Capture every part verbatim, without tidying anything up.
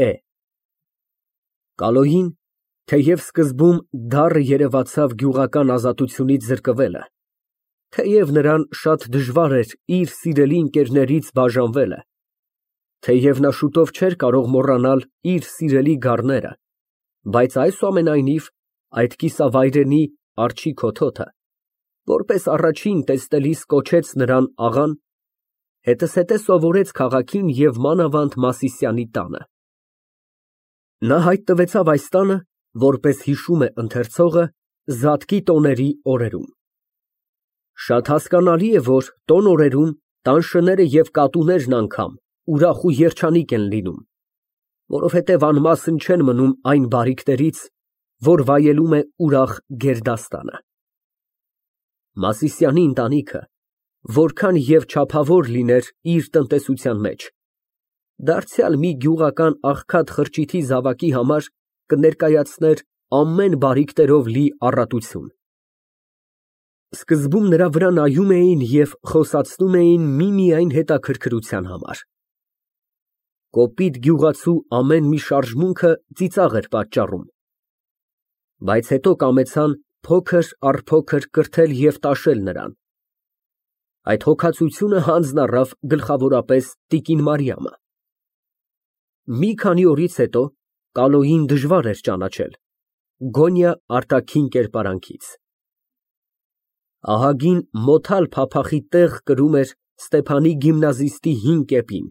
Է։ Կալոյին, թեև սկզբում դառը երևացավ գյուղական ազատությունից զրկվելը, թեև նրան շատ դժվար էր իր սիրելի ընկերներից բաժանվելը, թեև նա շուտով չէր կարող մոռանալ իր սիրելի գառները, բայց այսուամենայնիվ, այդ կիսավայրենի արջի քոթոթը, որպես առաջին տեսնելիս կոչեց նրան աղան, հետզհետե սովորեց քաղաքին և մանավանդ Մասիսյանի տանը։ Նա հայտնվեցավ այս տանը, որպես հիշում է ընթերցողը, Զատկի տոների օրերում։ Շատ հասկանալի է, որ տոն օրերում տան շները և կատուներն անգամ ուրախ ու երջանիկ են լինում, որովհետև անմասն չեն մնում այն բարիքներից, որ վայելում է ուրախ գերդաստանը։ Մասիսյանի ընտանիքը, որքան և չափավոր լիներ իր տնտեսության մեջ, դարձյալ մի գյուղական աղքատ խրճիթի զավակի համար կներկայացներ ամեն բարիքներով լի առատություն։ Սկզբում նրա վրա նայում էին և խոսացնում էին միմիայն հետաքրքրության համար։ Կոպիտ գյուղացու ամեն մի շարժմունքը ծիծաղ էր պատճառում, բայց հետո կամեցան փոքր առ փոքր կրթել և տաշել նրան։ Այդ հոգածությունը հանձն առավ գլխավորապես տիկին Մարիամը։ Մի քանի օրից հետո Կալոյին դժվար էր ճանաչել, գոնյա արտաքին կերպարանքից։ Ահագին մոթալ փափախի տեղ կրում էր Ստեփանի գիմնազիստի հին կեպին,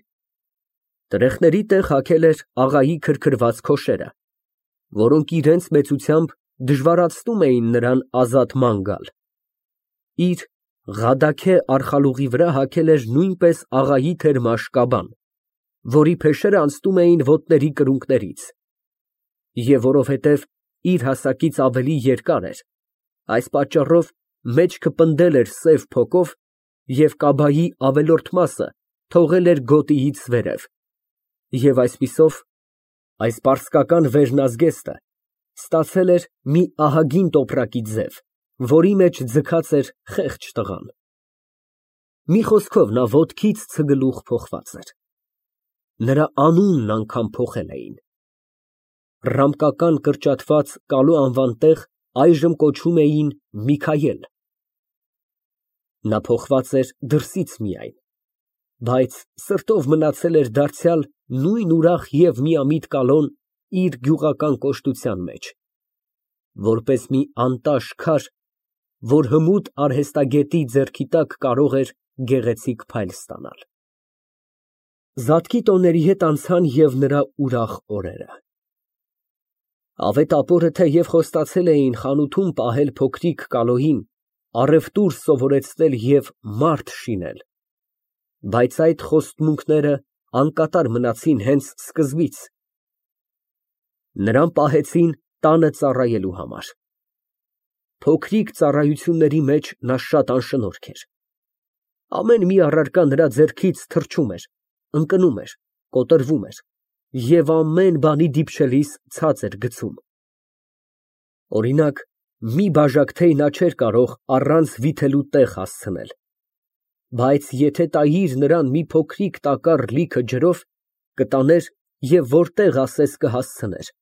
տրեխների տեղ հագել էր աղայի քրքրված քոշերը, որոնք իրենց մեծությամբ դժվարացնում էին նրան ազատման գալ, իր Ղադաքե արխալուղի վրա հագել էր նույնպես աղայի թերմաշ կաբան, որի փեշերը անցնում էին ոտների կրունկներից, և որովհետև իր հասակից ավելի երկար էր, այս պատճառով մեջքը պնդել էր սև փոկով և կաբայի ավելորդ մասը թողել էր գոտիից վերև, և այսպիսով, այս պարսկական վերնազգեստը ստացել էր մի ահագին տոպրակի ձև, որի մեջ ձգած էր խեղճ տղան։ Մի խոսքով, նա ոտքից ցգլուխ փոխված էր։ Նրա անունն անգամ փոխել էին։ Ռամկական կրճատված Կալո անվան տեղ այժմ կոչում էին Միքայել։ Նա փոխված էր դրսից միայն, բայց սրտով մնացել էր դարձյալ նույն ուրախ և միամիտ Կալոն իր գյուղական կոշտության մեջ, որպես մի անտաշ քար, որ հմուտ արհեստագետի ձեռքի տակ կարող էր գեղեցիկ փայլ ստանալ։ Զատկի տոների հետ անցան և նրա ուրախ օրերը։ Ավետ ապորը թեև խոստացել էին խանութում պահել փոքրիկ Կալոյին, առևտուր սովորեցնել և մարդ շինել, բայց այդ խոստմունքները անկատար մնացին հենց սկզբից։ Նրան պահեցին տանը ծառայելու համար։ Փոքրիկ ծառայությունների մեջ նա շատ անշնորհք էր։ Ամեն մի առարկա նրա ձեռքից թռչում էր, ընկնում էր, կոտրվում էր և ամեն բանի դիպչելիս ցած էր գցում։ Օրինակ, մի բաժակ թեյ նա չէր կարող առանց վիթելու տեղ հասցնել, բայց եթե տայիր նրան մի փոքրիկ տակառ լիքը ջրով, կտաներ և որտեղ ասես կհասցներ։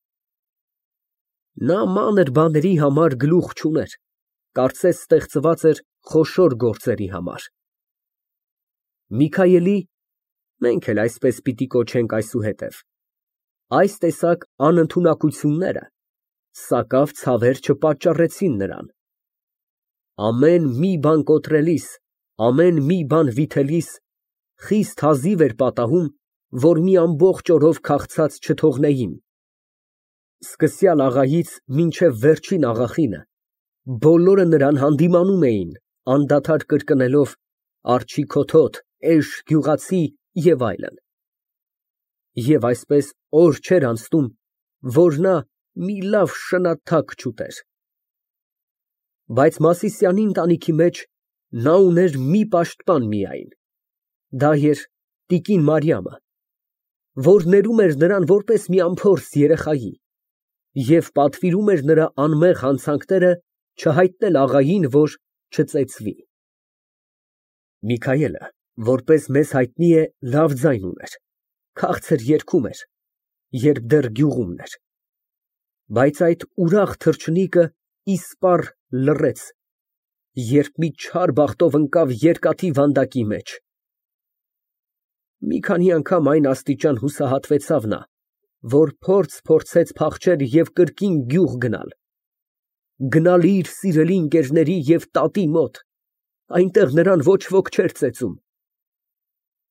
Նա մանր բաների համար գլուխ չուներ, կարծես ստեղծված էր խոշոր գործերի համար։ Միքայելի (մենք էլ այսպես պիտի կոչենք այսուհետև) այս տեսակ անընդունակությունները սակավ ցավեր չպատճառեցին նրան։ Ամեն մի բան կոտրելիս, ամեն մի բան վիթելիս խիստ հազիվ էր պատահում, որ մի ամբողջ օրով քաղցած չթողնեին, սկսյալ աղայից մինչև վերջին աղախինը, բոլորը նրան հանդիմանում էին, անդադար կրկնելով «Արջի քոթոթ», «Էշ գյուղացի» և այլն։ Եվ այսպես օր չէր անցնում, որ նա մի լավ շնաթակ չուտեր։ Բայց Մասիսյանի ընտանիքի մեջ նա ուներ մի պաշտպան միայն, դա էր տիկին Մարիամը, որ ներում էր նրան որպես մի անփորձ երեխայի և պատվիրում էր նրա անմեղ հանցանքները չհայտնել աղային, որ չծեծվի։ Միքայելը, որպես մեզ հայտնի է, լավ ձայն ուներ, քաղցր երգում էր, երբ դեռ գյուղումն էր, բայց այդ ուրախ թռչնիկը իսպառ լռեց, երբ մի չար բախտով ընկավ երկաթի վանդակի մեջ։ Մի քանի անգամ այն աստիճան հուսահատվեցավ նա, որ փորձ փորձեց փախչել և կրկին գյուղ գնալ, գնալ իր սիրելի ընկերների և տատի մոտ, այնտեղ նրան ոչ ոք չէր ծեծում։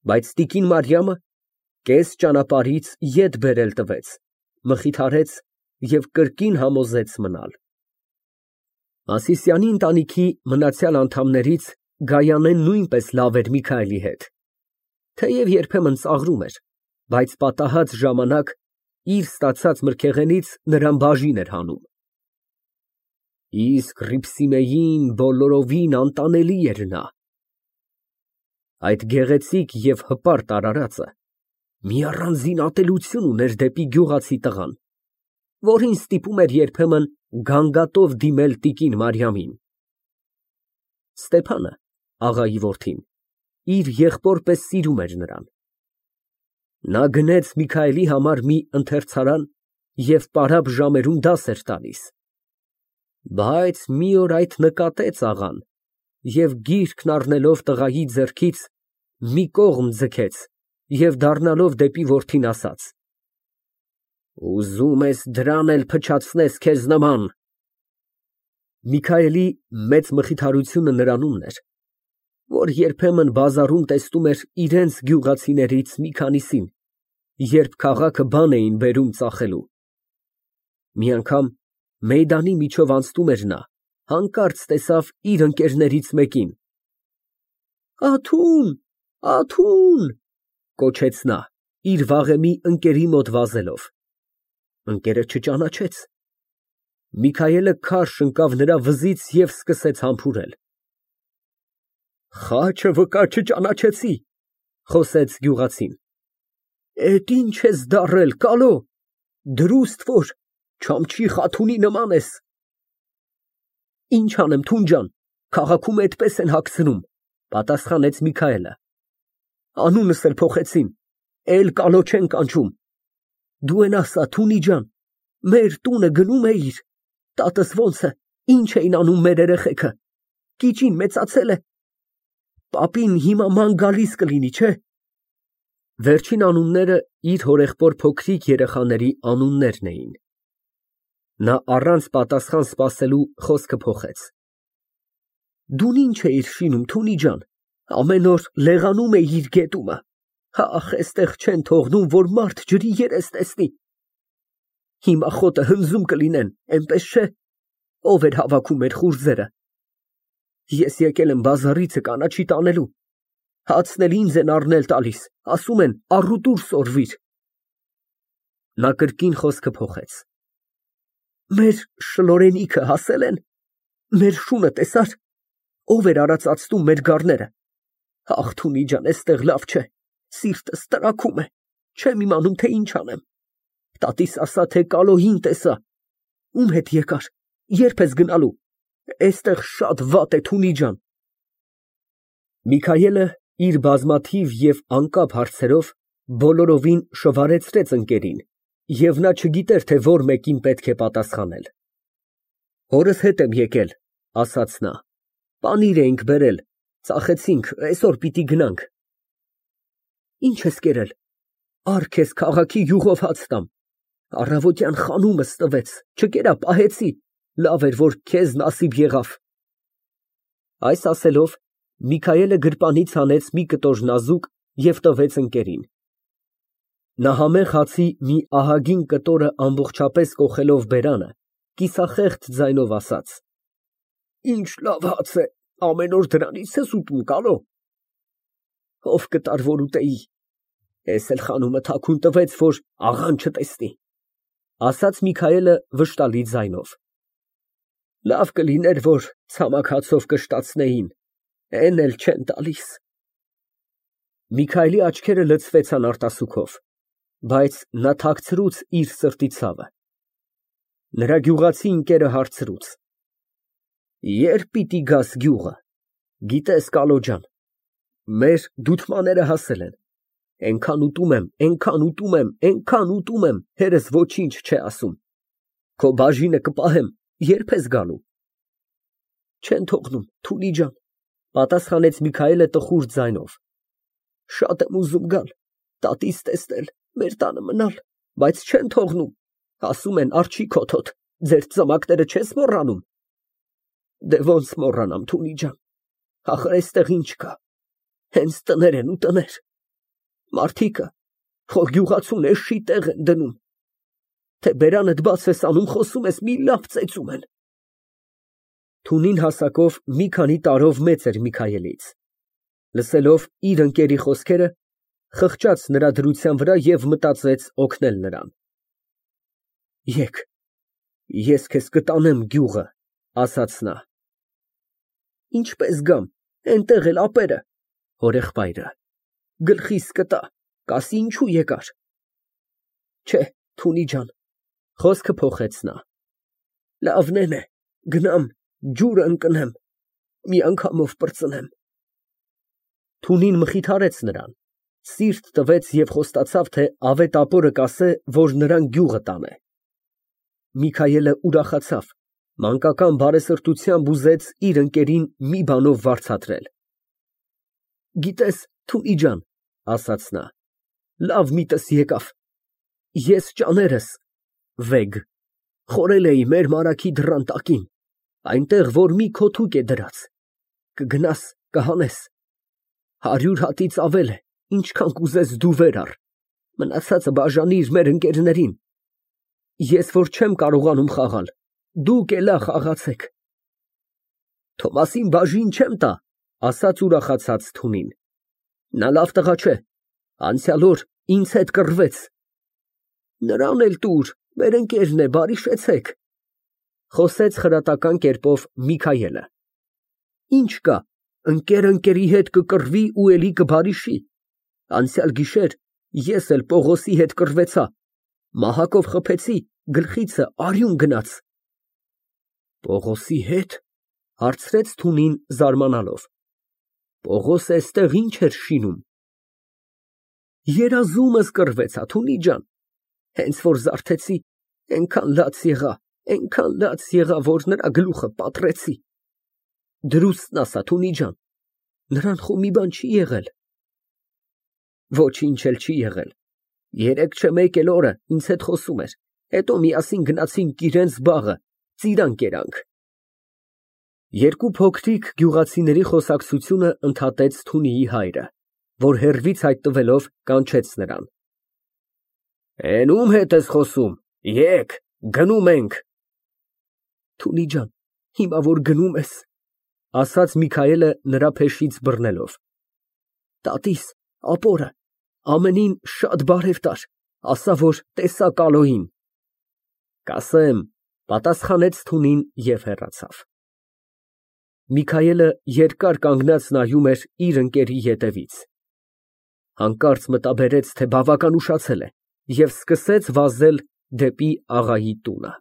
Բայց տիկին Մարիամը կես ճանապարհից ետ բերել տվեց, մխիթարեց և կրկին համոզեց մնալ։ Մասիսյանի ընտանիքի մնացյալ անդամներից Գայանեն նույնպես լավ էր Միքայելի հետ, թեև երբեմն ծաղրում էր, բայց պատահած ժամանակ իր ստացած մրգեղենից նրան բաժին էր հանում։ Իսկ Հռիփսիմեին բոլորովին անտանելի էր նա։ Այդ գեղեցիկ և հպարտ արարածը մի առանձին ատելություն ուներ դեպի գյուղացի տղան, որին ստիպում էր երբեմն գանգատով դիմել տիկին Մարիամին։ Ստեփանը, աղայի որդին, իր եղբոր պես սիրում էր նրան։ Նա գնեց Միքայելի համար մի ընթերցարան և պարապ ժամերում դաս էր տալիս։ Բայց մի օր այդ նկատեց աղան և գիրքն առնելով տղայի ձեռքից մի կողմ ձգեց և դառնալով դեպի որդին ասաց. «Ուզում ես դրան էլ փչացնես քեզ նման»։ Միքայելի մեծ մխիթարությունը նրանումն էր, որ երբեմն բազարում տեսնում էր իրենց գյուղացիներից մի քանիսին, երբ քաղաքը բան էին բերում ծախելու։ Մի անգամ մեյդանի միջով անցնում էր նա, հանկարծ տեսավ իր ընկերներից մեկին։ «Աթուն, Աթուն» կոչեց նա, իր վաղեմի ընկերի մոտ վազելով։ Ընկերը չճանաչեց։ Միքայելը քարշ ընկավ նրա վզից և սկսեց համբուրել։ «Խաչը վկա չճանաչեցի», խոսեց գյուղացին։ «Էդ ինչ ես դառել, կալո, դրուստ որ Չամչի Խաթունի նման ես»։ «Ինչ անեմ, թուն ջան, քաղաքում էդպես են հագցնում», պատասխանեց Միքայելը։ «Անունս էլ փոխեցին, էլ կալո չեն կանչում։ Դու էն ասա, Թունի ջան, մեր տունը գնո՞ւմ էիր, տատս ոնց է, ինչ էին անում մեր երեխեքը, կիճին մեծացե՞լ է։ Պապին հիմա ման գալիս կլինի, չէ՞։ Վերջին անունները իր հորեղբոր փոքրիկ երեխաների անուններն էին։ Նա առանց պատասխան սպասելու խոսքը փոխեց. Դուն ինչ էիր շինում, Թունի ջան, ամեն օր լեղանում էիր գետումը, ախ, էստեղ չեն թողնում, որ մարդ ջրի երես տեսնի։ Հիմա խոտը հնձում կլինեն, էնպես չէ։ Ով էր հավաքում մեր խուրձերը։ Ես եկել եմ բազարիցը կանաչի տանելու, հացն էլ ինձ են առնել տալիս, ասում են առուտուր սորվիր։ Նա կրկին խոսքը փոխեց. Մեր շլորենիքը հասել են, մեր շունը տեսար, ով էր արածացնում մեր գառները։ Ախ, Թունի ջան, էստեղ լավ չէ, սիրտս տրաքում է, չեմ իմանում, թե ինչ անեմ։ Տատիս ասա, թե կալոհին տեսա։ Ում հետ եկար, երբ ես գնալու։ Էստեղ շատ վատ է, Թունի ջան։ Միքայելը իր բազմաթիվ և անկապ հարցերով բոլորովին շվարեցրեց ընկերին, և նա չգիտեր, թե որ մեկին պետք է պատասխանել։ Հորս հետ եմ եկել, ասաց նա, պանիր էինք բերել, ծախեցինք, այսօր պիտի գնանք։ Ինչ ես կերել, առ քեզ քաղաքի յուղով հաց տամ, առավոտյան խանումս տվեց, չկերա, պահեցի, լավ էր, որ քեզ նասիբ եղավ։ Այս ասելով Միքայելը գրպանից հանեց մի կտոր նազուկ և տվեց ընկերին։ Նա համեղ հացի մի ահագին կտորը ամբողջապես կոխելով բերանը, կիսախեղծ ձայնով ասաց. Ինչ լավ հաց է, ամեն օր դրանից ես ուտում, կալո։ Ով կտար, որ ուտեի, էս էլ խանումը թաքուն տվեց, որ աղան չտեսնի, ասաց Միքայելը վշտալի ձայնով։ Լավ կլիներ, որ ցամաք հացով կշտացնեին, էն էլ չեն տալիս։ Միքայելի աչքերը լցվեցան արտասուքով, բայց նա թաքցրուց իր սրտի ցավը։ Նրա գյուղացի ընկերը հարցրուց. Երբ պիտի գաս գյուղը, գիտես, կալո ջան, մեր դութմաները հասել են, Էնքան ուտում եմ, էնքան ուտում եմ, էնքան ուտում եմ, հերս ոչինչ չէ ասում։ Քո բաժինը կպահեմ, ե՞րբ ես գալու։ Չեն թողնում, Թունի ջան, պատասխանեց Միքայելը տխուր ձայնով։ Շատ եմ ուզում գալ, տատիս տեսնել, մեր տանը մնալ, բայց չեն թողնում, ասում են արջի քոթոտ, ձեր ծամակները չես մոռանում։ Դե ոնց մոռանամ, Թունի ջան, ախր այստեղ ինչ կա, հենց տներ են ու տներ, մարդիկը քո գյուղացուն էշի տեղ են դնում, թե բերանդ բաց ես անում, խոսում ես, մի լավ ծեծում են։ Թունին հասակով մի քանի տարով մեծ էր Միքայելից։ Լսելով իր ընկերի խոսքերը, խղճաց նրա դրության վրա և մտածեց օգնել նրան։ Եկ, ես քեզ կտանեմ գյուղը, ասաց նա։ Ինչպես գամ, էնտեղ էլ ապերը, հորեղբայրը, գլխիս կտա, կասի ինչու եկար։ Չէ, Թունի ջան, խոսքը փոխեց նա։ Լավնեն է, գնամ, ջուրը ընկնեմ, մի անգամով պրծնեմ։ Թունին մխիթարեց նրան, սիրտ տվեց և խոստացավ, թե ավետ ապորը կասե, որ նրան գյուղը տանե։ Միքայելը ուրախացավ, մանկական բարեսրտությամբ ուզեց իր ընկերին մի բանով վարձատրել։ Գիտես, Թունի ջան, ասաց նա, լավ միտս եկավ, ես ճաներս վեգ խորել էի մեր մարագի դռան տակին, այնտեղ, որ մի քոթուկ է դրած, կգնաս, կհանես, հարյուր հատից ավել է, ինչքան կուզես դու վեր առ, մնացածը բաժանիր մեր ընկերներին, ես որ չեմ կարողանում խաղալ, դուք էլա խաղացեք։ Թոմասին բաժին չեմ տա, ասաց ուրախացած Թունին, նա լավ տղա չէ, անցյալ օր ինձ հետ կռվեց։ Նրան էլ տուր, մեր ընկերն է, բարիշեցեք, խոսեց խրատական կերպով Միքայելը։ Ինչ կա, ընկեր ընկերի հետ կկռվի ու էլի կբարիշի։ Անցյալ գիշեր ես էլ Պողոսի հետ կռվեցա, մահակով խփեցի, գլխիցը արյուն գնաց։ Պողոսի հետ, հարցրեց Թունին զարմանալով։ Պողոսը էստեղ ինչ էր շինում։ Երազումս կռվեցա, Թունի ջան, հենց որ զարթեցի, էնքան լաց եղա, էնքան լաց եղա, որ նրա գլուխը պատռեցի։ Դրուստն ասա, Թունի ջան, նրան խո մի բան չի եղել։ Ոչինչ էլ չի եղել։ Երեկ չէ մեկ էլ օրը ինձ հետ խոսում էր, հետո միասին գնացինք իրենց բաղը, ծիրան կերանք։ Երկու փոքրիկ գյուղացիների խոսակցությունը ընդհատեց Թունիի հայրը, որ հեռվից հայտնվելով կանչեց նրան։ Էն ում հետ ես խոսում, եկ, գնում ենք։ Թունի ջան, հիմա որ գնում ես, ասաց Միքայելը նրա փեշից բռնելով։ Տատիս, ապորը, ամենին շատ բարև տար, ասա, որ տեսա Կալոյին։ Կասեմ, պատասխանեց Թունին և հեռացավ։ Միքայելը երկար կանգնած նայում էր իր ընկերի ետևից։ Հանկարծ մտաբերեց, թե բավական ուշացել է, և սկսեց վազել դեպի աղայի տունը։